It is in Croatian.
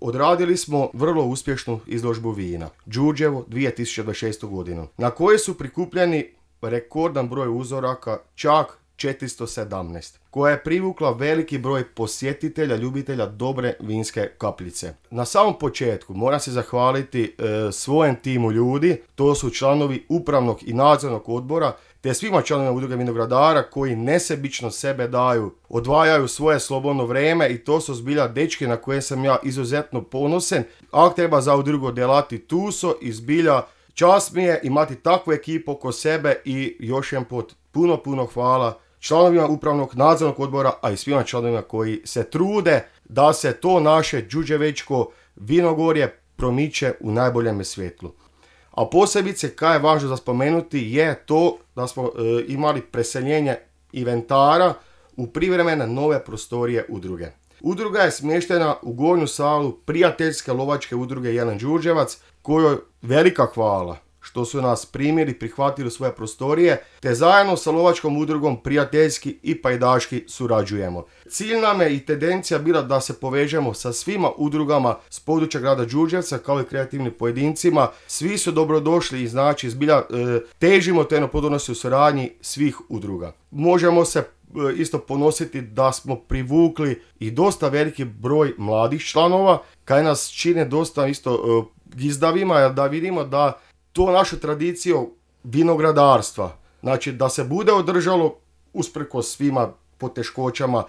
odradili smo vrlo uspješnu izložbu vina Đurđevo 2026. godinu, na kojoj su prikupljeni rekordan broj uzoraka, čak 417, koja je privukla veliki broj posjetitelja, ljubitelja dobre vinske kapljice. Na samom početku moram se zahvaliti svojem timu ljudi, to su članovi upravnog i nadzornog odbora, te svima članovima udruge vinogradara koji nesebično sebe daju, odvajaju svoje slobodno vrijeme i to su zbilja dečki na koje sam ja izuzetno ponosen. Ako treba za udrugu delati tuso i zbilja čast mi je imati takvu ekipu oko sebe i još jedan put puno hvala članovima upravnog nadzornog odbora, a i svima članovima koji se trude da se to naše đurđevečko vinogorje promiče u najboljem svjetlu. A posebice, kaj je važno za spomenuti, je to da smo imali preseljenje inventara u privremene nove prostorije udruge. Udruga je smještena u gornju salu prijateljske lovačke udruge Jelen Đurđevac, kojoj velika hvala što su nas primili, prihvatili u svoje prostorije, te zajedno sa lovačkom udrugom prijateljski i pajdaški surađujemo. Cilj nam je i tendencija bila da se povežemo sa svima udrugama s područja grada Đurđevca kao i kreativnim pojedincima. Svi su dobrodošli i znači zbilja težimo te plodnosti u suradnji svih udruga. Možemo se isto ponositi da smo privukli i dosta veliki broj mladih članova, kaj nas čine dosta isto gizdavima, jer da vidimo da to našu tradiciju vinogradarstva, znači da se bude održalo usprkos svima poteškoćama